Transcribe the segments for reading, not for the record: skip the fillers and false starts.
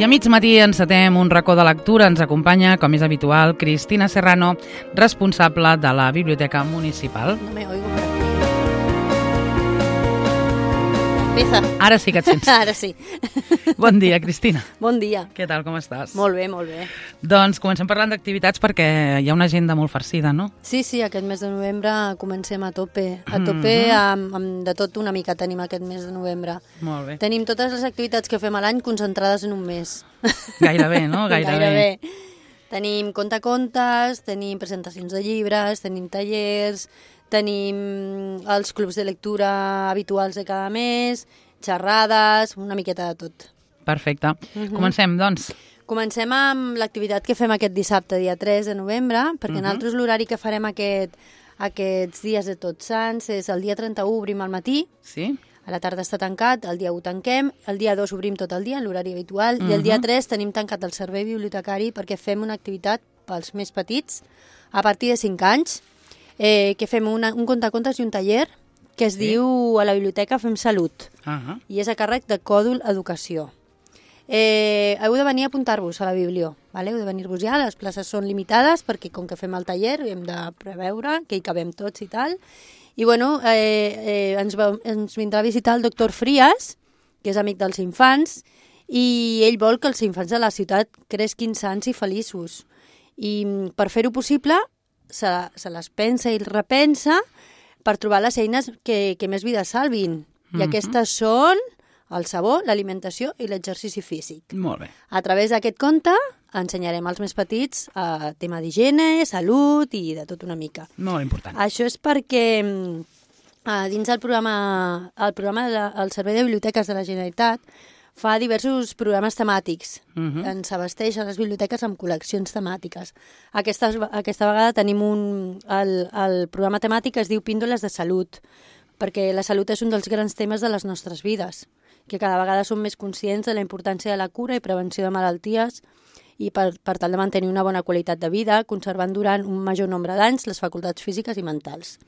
I a mig matí encetem un racó de lectura. Ens acompanya, com és habitual, Cristina Serrano, responsable de la Biblioteca Municipal. No me oigo por aquí. Empieza. Ara sí que et sents. Ara sí. Bon dia, Cristina. Bon dia. Què tal, com estàs? Molt bé, molt bé. Doncs comencem parlant d'activitats perquè hi ha una agenda molt farcida, no? Sí, aquest mes de novembre comencem a tope. A tope amb de tot una mica tenim aquest mes de novembre. Molt bé. Tenim totes les activitats que fem a l'any concentrades en un mes. Gairebé, no? Gairebé. Tenim contacontes, tenim presentacions de llibres, tenim tallers, tenim els clubs de lectura habituals de cada mes, xerrades, una miqueta de tot. Perfecte. Comencem, doncs. Comencem amb l'activitat que fem aquest dissabte, dia 3 de novembre, perquè nosaltres l'horari que farem aquests dies de Tots Sants és el dia 31 obrim al matí, Sí? a la tarda està tancat, el dia 1 tanquem, el dia 2 obrim tot el dia, en l'horari habitual, i el dia 3 tenim tancat el servei bibliotecari perquè fem una activitat pels més petits, a partir de 5 anys, que fem un contacontes i un taller que es diu a la biblioteca Fem Salut, i és a càrrec de Còdul Educació. Heu de venir a apuntar-vos a la biblio, vale? Heu de venir-vos ja, les places són limitades perquè com que fem el taller hem de preveure que hi cabem tots i tal. I bueno, ens vindrà a visitar el doctor Frias, que és amic dels infants, i ell vol que els infants de la ciutat cresquin sans i feliços. I per fer-ho possible se les pensa i repensa per trobar les eines que més vida salvin. I aquestes són el sabó, l'alimentació i l'exercici físic. Molt bé. A través d'aquest conte ensenyarem als més petits tema d'higiene, salut i de tot una mica. Molt important. Això és perquè dins el programa del Servei de Biblioteques de la Generalitat fa diversos programes temàtics. Ens abasteix a les biblioteques amb col·leccions temàtiques. Aquesta vegada tenim el programa temàtic que es diu Píndoles de Salut, perquè la salut és un dels grans temes de les nostres vides, que cada vegada som més conscients de la importància de la cura i prevenció de malalties i per tal de mantenir una bona qualitat de vida, conservant durant un major nombre d'anys les facultats físiques i mentals.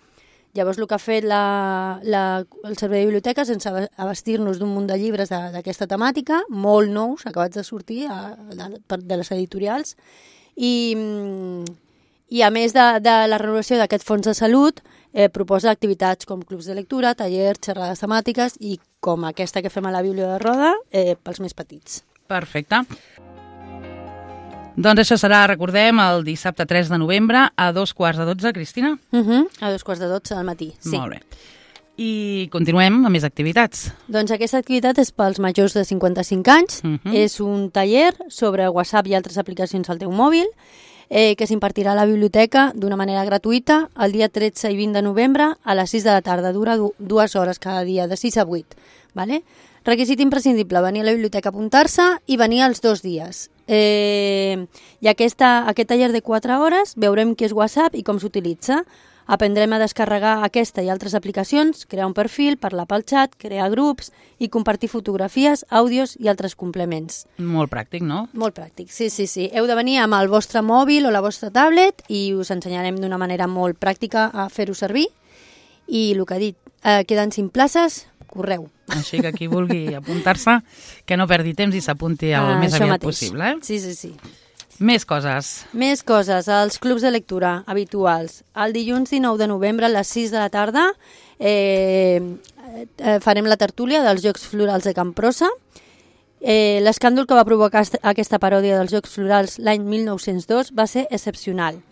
Llavors, el que ha fet el Servei de Biblioteques és abastir-nos d'un munt de llibres d'aquesta temàtica, molt nous, acabats de sortir de les editorials, i a més de la renovació d'aquest fons de salut, proposa activitats com clubs de lectura, tallers, xerrades temàtiques i com aquesta que fem a la Bíblia de Roda pels més petits. Perfecte. Doncs això serà, recordem, el dissabte 3 de novembre a 2:15, Cristina? A 2:12 del matí, sí. Molt bé. I continuem amb més activitats. Doncs aquesta activitat és pels majors de 55 anys. És un taller sobre WhatsApp i altres aplicacions al teu mòbil que s'impartirà a la biblioteca d'una manera gratuïta el dia 13 i 20 de novembre a les 6 de la tarda. Dura 2 hores cada dia, de 6 a 8. Vale? Requisit imprescindible, venir a la biblioteca a apuntar-se i venir els 2 dies. I aquest taller de 4 hores veurem què és WhatsApp i com s'utilitza. Aprendrem a descarregar aquesta i altres aplicacions, crear un perfil, parlar pel xat, crear grups i compartir fotografies, àudios i altres complements. Molt pràctic, no? Molt pràctic, sí. Heu de venir amb el vostre mòbil o la vostra tablet i us ensenyarem d'una manera molt pràctica a fer-ho servir. I el que he dit, queden 5 places, correu. Així que qui vulgui apuntar-se, que no perdi temps i s'apunti el més aviat possible. Sí. Més coses. Més coses, els clubs de lectura habituals. El dilluns 19 de novembre a les 6 de la tarda farem la tertúlia dels Jocs Florals de Camprosa. L'escàndol que va provocar aquesta paròdia dels Jocs Florals l'any 1902 va ser excepcional.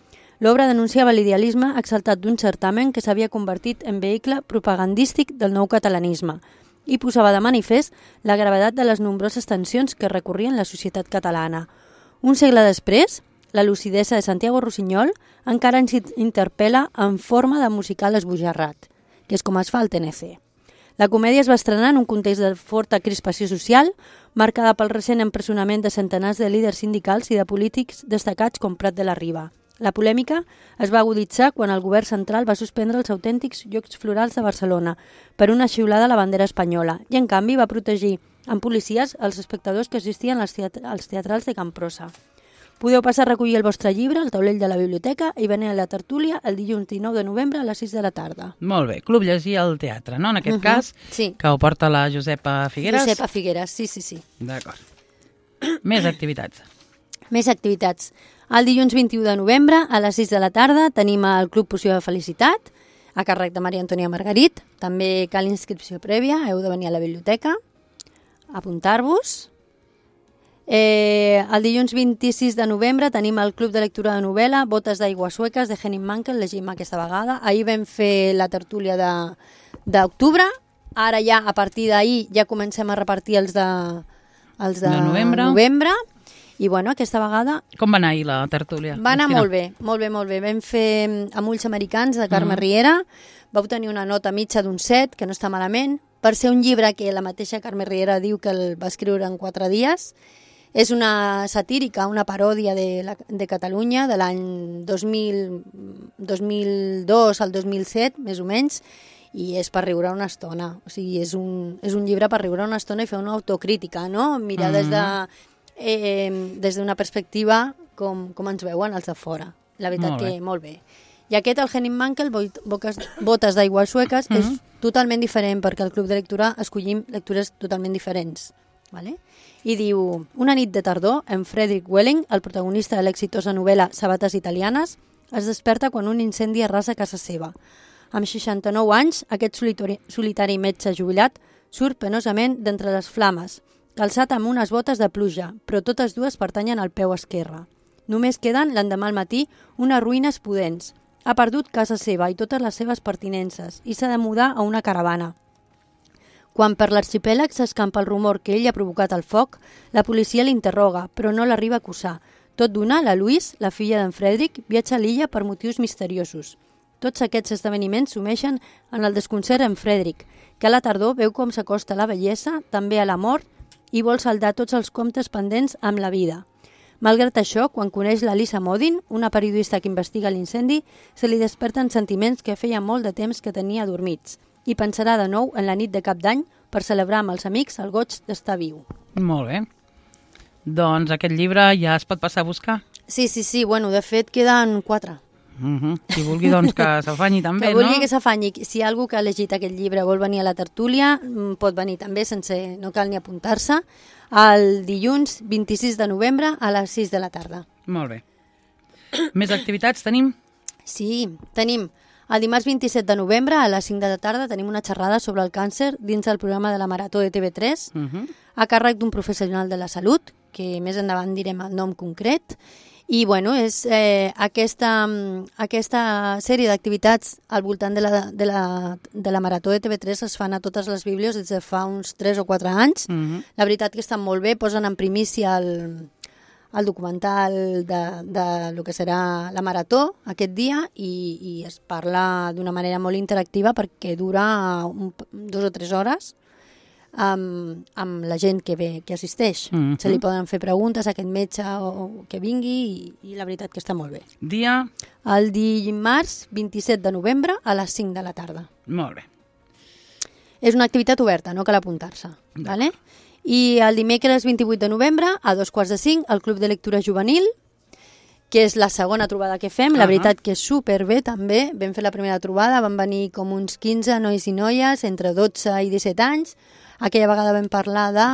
L'obra denunciava l'idealisme exaltat d'un certamen que s'havia convertit en vehicle propagandístic del nou catalanisme i posava de manifest la gravetat de les nombroses tensions que recorrien la societat catalana. Un segle després, la lucidesa de Santiago Rusiñol encara ens interpel·la en forma de musical esbojarrat, que és com es fa el TNC. La comèdia es va estrenar en un context de forta crispació social, marcada pel recent empresonament de centenars de líders sindicals i de polítics destacats com Prat de la Riba. La polèmica es va aguditzar quan el govern central va suspendre els autèntics Jocs Florals de Barcelona per una xiulada a la bandera espanyola i, en canvi, va protegir amb policies els espectadors que assistien als teatrals de Camprosa. Podeu passar a recollir el vostre llibre al taulell de la biblioteca i venir a la tertúlia el dilluns 19 de novembre a les 6 de la tarda. Molt bé, Club Llegir al Teatre, no? En aquest cas, sí. Que ho porta la Josepa Figueres. Josepa Figueres, sí. D'acord. Més activitats. Més activitats. El dilluns 21 de novembre, a les 6 de la tarda, tenim el Club Poció de Felicitat, a càrrec de Maria Antònia Margarit. També cal inscripció prèvia, heu de venir a la biblioteca, apuntar-vos. El dilluns 26 de novembre tenim el Club de Lectura de Novel·la, Botes d'aigua sueques, de Henning Mankell, llegim aquesta vegada. Ahir vam fer la tertúlia d'octubre, ara ja, a partir d'ahir, ja comencem a repartir els de novembre. I bueno, aquesta vegada... Com va anar ahir la tertúlia? Va anar molt bé, molt bé, molt bé. Vam fer Amb ulls americans, de Carme Riera. Va obtenir una nota mitja d'un 7, que no està malament. Per ser un llibre que la mateixa Carme Riera diu que el va escriure en 4 dies. És una satírica, una paròdia de Catalunya, de l'any 2002 al 2007, més o menys, i és per riure una estona. O sigui, és un llibre per riure una estona i fer una autocrítica, no? Mirar des d'una perspectiva com ens veuen els de fora. La veritat que molt bé. I aquest, el Henning Mankell, Botes d'aigua sueques, és totalment diferent, perquè al Club de Lectura escollim lectures totalment diferents. Vale? I diu, una nit de tardor, en Frederick Welling, el protagonista de l'exitosa novel·la Sabates italianes, es desperta quan un incendi arrasa casa seva. Amb 69 anys, aquest solitari metge jubilat surt penosament d'entre les flames, calçat amb unes botes de pluja, però totes dues pertanyen al peu esquerre. Només queden, l'endemà al matí, unes ruïnes pudents. Ha perdut casa seva i totes les seves pertinences i s'ha de mudar a una caravana. Quan per l'arxipèlag s'escampa el rumor que ell ha provocat el foc, la policia l'interroga, però no l'arriba a acusar. Tot d'una, la Louise, la filla d'en Frederick, viatja a l'illa per motius misteriosos. Tots aquests esdeveniments sumeixen en el desconcert en Frederick, que a la tardor veu com s'acosta la bellesa, també a la mort, i vol saldar tots els comptes pendents amb la vida. Malgrat això, quan coneix la Lisa Modin, una periodista que investiga l'incendi, se li desperten sentiments que feia molt de temps que tenia adormits, i pensarà de nou en la nit de Cap d'Any per celebrar amb els amics el goig d'estar viu. Molt bé. Doncs aquest llibre ja es pot passar a buscar? Sí, bueno, de fet queden 4. Qui vulgui doncs que s'afanyi també, no? Que vulgui que s'afanyi. Si algú que ha llegit aquest llibre vol venir a la tertúlia, pot venir també, no cal ni apuntar-se, el dilluns 26 de novembre a les 6 de la tarda. Molt bé. Més activitats tenim? Sí, tenim. El dimarts 27 de novembre a les 5 de la tarda tenim una xerrada sobre el càncer dins del programa de la Marató de TV3 a càrrec d'un professional de la salut, que més endavant direm el nom concret. I bueno, és aquesta sèrie d'activitats al voltant de la Marató de TV3 es fan a totes les bíblios des de fa uns 3 o 4 anys. La veritat que estan molt bé, posen en primícia el documental de lo que serà la Marató aquest dia i es parla d'una manera molt interactiva perquè dura 2 o 3 hores amb la gent que assisteix. Se li poden fer preguntes a aquest metge o que vingui i la veritat que està molt bé. Dia? El dimarts 27 de novembre a les 5 de la tarda. Molt bé. És una activitat oberta, no cal apuntar-se. Vale? I el dimecres 28 de novembre a 4:45 al Club de Lectura Juvenil, que és la segona trobada que fem. La veritat que és superbé també. Vam fer la primera trobada, van venir com uns 15 nois i noies entre 12 i 17 anys. Aquella vegada vam parlar de...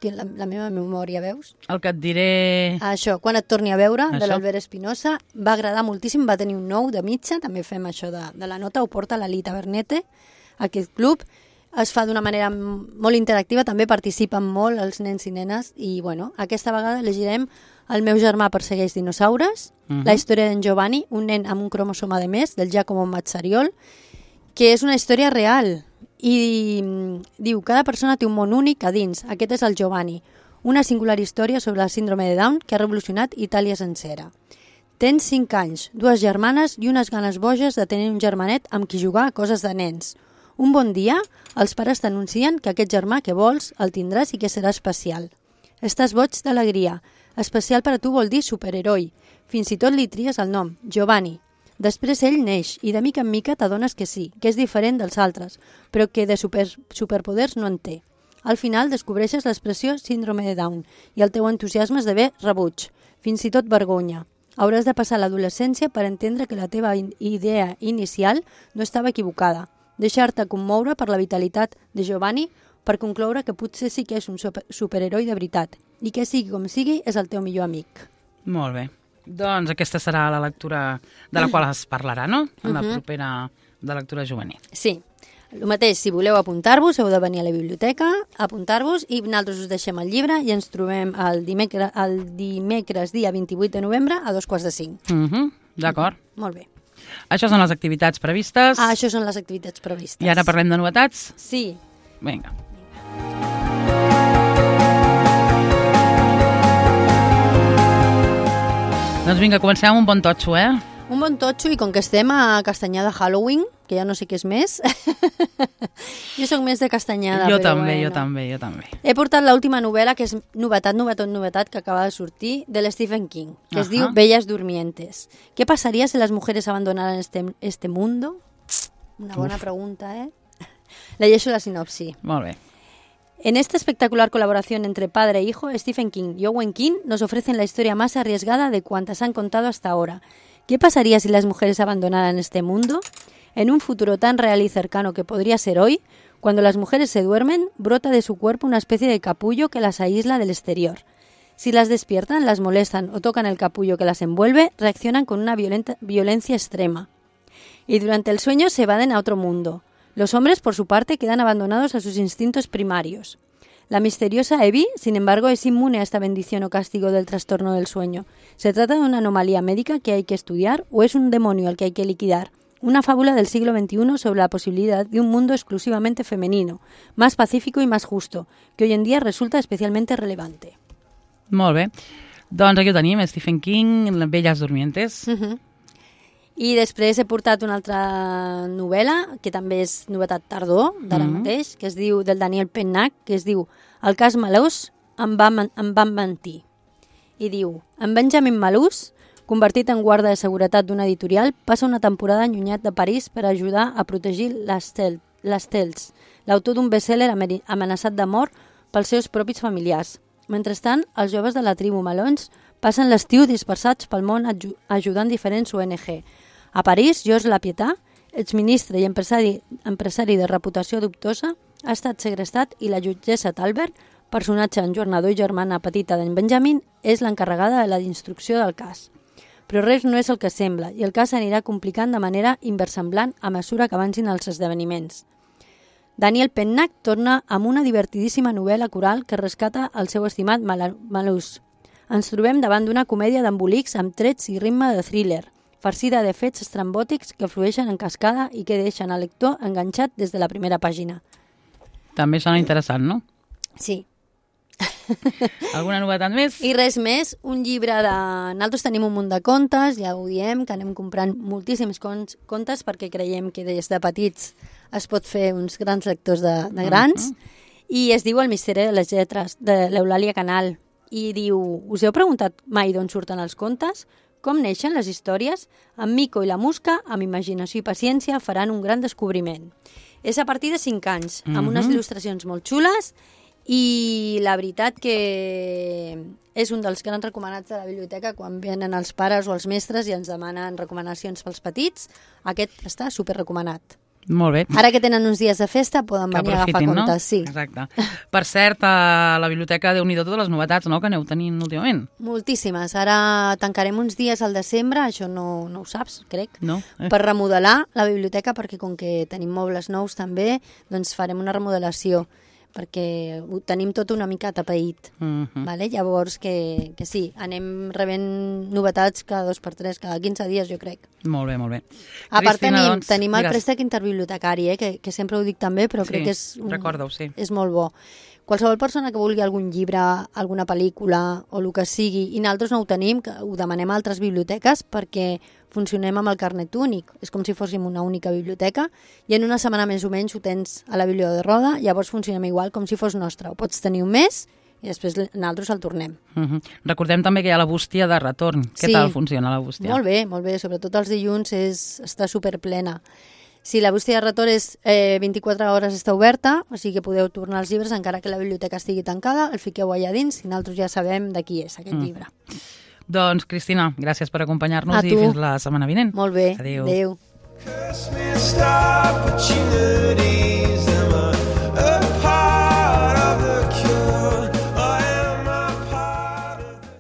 la meva memòria, veus? El que et diré... Això, Quan et torni a veure, de l'Albert Espinosa. Va agradar moltíssim, va tenir un 9 de mitja. També fem això de la nota, ho porta la Lita Bernete, aquest club. Es fa d'una manera molt interactiva, també participen molt els nens i nenes i bueno, aquesta vegada llegirem El meu germà persegueix dinosaures, la història d'en Giovanni, un nen amb un cromosoma de més, del Giacomo Mazzariol, que és una història real i diu, cada persona té un món únic a dins, aquest és el Giovanni, una singular història sobre el síndrome de Down que ha revolucionat Itàlia sencera. Tens 5 anys, 2 germanes i unes ganes boges de tenir un germanet amb qui jugar a coses de nens. Un bon dia, els pares t'anuncien que aquest germà que vols el tindràs i que serà especial. Estàs boig d'alegria. Especial per a tu vol dir superheroi. Fins i tot li tries el nom, Giovanni. Després ell neix i de mica en mica t'adones que sí, que és diferent dels altres, però que de superpoders no en té. Al final descobreixes l'expressió síndrome de Down i el teu entusiasme esdevé rebuig, fins i tot vergonya. Hauràs de passar l'adolescència per entendre que la teva idea inicial no estava equivocada. Deixar-te commoure per la vitalitat de Giovanni per concloure que potser sí que és un superheroi de veritat i que sigui com sigui és el teu millor amic. Molt bé. Doncs aquesta serà la lectura de la qual es parlarà, no? En la propera de lectura juvenil. Sí. El mateix, si voleu apuntar-vos, heu de venir a la biblioteca, apuntar-vos i nosaltres us deixem el llibre i ens trobem el dimecres dia 28 de novembre a 4:45. D'acord. Molt bé. Això són les activitats previstes. Això són les activitats previstes. I ara parlem de novetats? Sí. Vinga. Doncs vinga, comencem amb un bon totxo, Un bon totxo i com que estem a castanyar de Halloween, que ja no sé què és més, jo sóc més de castanyada. Jo també. He portat l'última novel·la, que és novetat, que acaba de sortir, de Stephen King, que es diu Bellas Durmientes. ¿Qué pasaría si las mujeres abandonaran este mundo? Una bona pregunta, Llegeixo la sinopsi. Molt bé. En esta espectacular colaboración entre padre e hijo, Stephen King y Owen King nos ofrecen la historia más arriesgada de cuantas han contado hasta ahora. ¿Qué pasaría si las mujeres abandonaran este mundo? En un futuro tan real y cercano que podría ser hoy, cuando las mujeres se duermen, brota de su cuerpo una especie de capullo que las aísla del exterior. Si las despiertan, las molestan o tocan el capullo que las envuelve, reaccionan con una violencia extrema. Y durante el sueño se evaden a otro mundo. Los hombres, por su parte, quedan abandonados a sus instintos primarios. La misteriosa Evie, sin embargo, es inmune a esta bendición o castigo del trastorno del sueño. ¿Se trata de una anomalía médica que hay que estudiar o es un demonio al que hay que liquidar? Una fábula del siglo XXI sobre la posibilidad de un mundo exclusivamente femenino, más pacífico y más justo, que hoy en día resulta especialmente relevante. Molt bé. Doncs aquí ho tenim, Stephen King, Bellas Durmientes. I després he portat una altra novel·la, que també és novetat tardor, d'ara mateix, que es diu, del Daniel Pennac, que es diu El cas Malús em van mentir. I diu, en Benjamin Malús, convertit en guarda de seguretat d'una editorial, passa una temporada allunyat de París per ajudar a protegir l'Estels, l'autor d'un best-seller amenaçat de mort pels seus propis familiars. Mentrestant, els joves de la tribu Malons passen l'estiu dispersats pel món ajudant diferents ONG. A París, Georges Lapietà, exministre i empresari de reputació dubtosa, ha estat segrestat i la jutgessa Talbert, personatge enjornador i germana petita d'en Benjamin, és l'encarregada de la instrucció del cas. Però res no és el que sembla i el cas s'anirà complicant de manera inversemblant a mesura que avancin els esdeveniments. Daniel Pennac torna amb una divertidíssima novel·la coral que rescata el seu estimat Malús. Ens trobem davant d'una comèdia d'embolics amb trets i ritme de thriller, farcida de fets estrambòtics que flueixen en cascada i que deixen el lector enganxat des de la primera pàgina. També sona interessant, no? Sí. Alguna novetat més? I res més, un llibre de... Nosaltres tenim un munt de contes, ja ho diem, que anem comprant moltíssims contes perquè creiem que des de petits es pot fer uns grans lectors de grans, i es diu El misteri de les lletres, de l'Eulàlia Canal, i diu, us heu preguntat mai d'on surten els contes? Com neixen les històries? En Mico i la Musca, amb imaginació i paciència, faran un gran descobriment. És a partir de 5 anys, amb unes il·lustracions molt xules, i la veritat que és un dels grans recomanats de la biblioteca quan venen els pares o els mestres i ens demanen recomanacions pels petits. Aquest està superrecomanat. Molt bé. Ara que tenen uns dies de festa poden venir a agafar contes. No? Sí. Exacte. Per cert, a la biblioteca Déu-n'hi-do totes les novetats, no?, que aneu tenint últimament. Moltíssimes. Ara tancarem uns dies al desembre, això no ho saps, crec, no? Per remodelar la biblioteca, perquè com que tenim mobles nous també, doncs farem una remodelació, perquè ho tenim tot una mica tapeït. Vale? Llavors que sí, anem rebent novetats cada 2x3, cada 15 dies, jo crec. Molt bé, molt bé. A part tenim el préstec interbibliotecari, que sempre ho dic també, però crec que és molt bo. Qualsevol persona que vulgui algun llibre, alguna pel·lícula o el que sigui, i nosaltres no ho tenim, que ho demanem a altres biblioteques perquè funcionem amb el carnet únic. És com si fóssim una única biblioteca i en una setmana més o menys ho tens a la biblioteca de Roda, llavors funcionem igual com si fos nostre. Ho pots tenir un mes i després nosaltres el tornem. Recordem també que hi ha la bústia de retorn. Què tal funciona la bústia? Molt bé. Sobretot els dilluns està superplena. Sí, la bústia de retorn és 24 hores està oberta, o sigui que podeu tornar els llibres encara que la biblioteca estigui tancada, el fiqueu allà dins i nosaltres ja sabem de qui és aquest llibre. Doncs, Cristina, gràcies per acompanyar-nos i fins la setmana vinent. Molt bé. Adéu. Adéu.